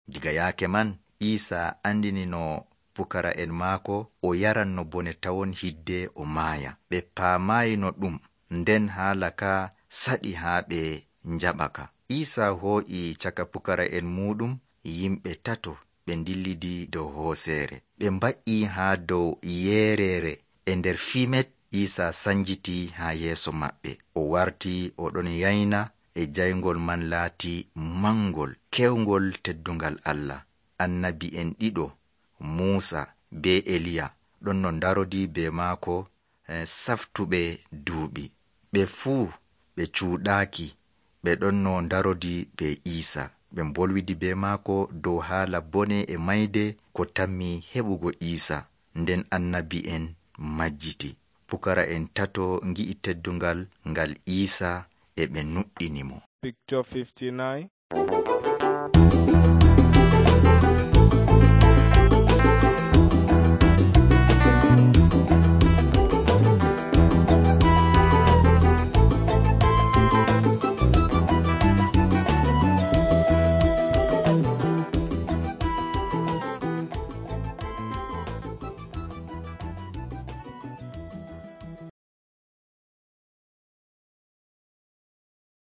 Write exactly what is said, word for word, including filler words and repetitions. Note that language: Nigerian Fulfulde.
Diga yaake man Iisa andinino pukara'en maako o yaranno bone tawon hidde o maaya. Ɓe paamayino ɗum, nden haala ka saɗi haa ɓe njaɓaka. Iisa hoo'i caka pukara'en muuɗum yimɓe tato ɓe dillidi dow hooseere. Ɓe mba'i haa dow yeereere. E nder fimet Iisa sanjiti haa yeeso maɓɓe. O warti o ɗon yayna e jayngol man laati mangol, kewngol teddungal Allah. Annabi'en ɗiɗo, Muusa be Eliya, ɗon no darodi be maako eh, saftuɓe duuɓi. Ɓe fuu ɓe cuuɗaaki, ɓe ɗon no darodi be Iisa. Ɓe bolwidi be maako dow haala bone e mayde ko tammi heɓugo Iisa. Nden annabi'en majjiti. Pukara'en tato ngi'i teddungal ngal Iisa e ɓe nuɗɗinimo. Picture fifty-nine.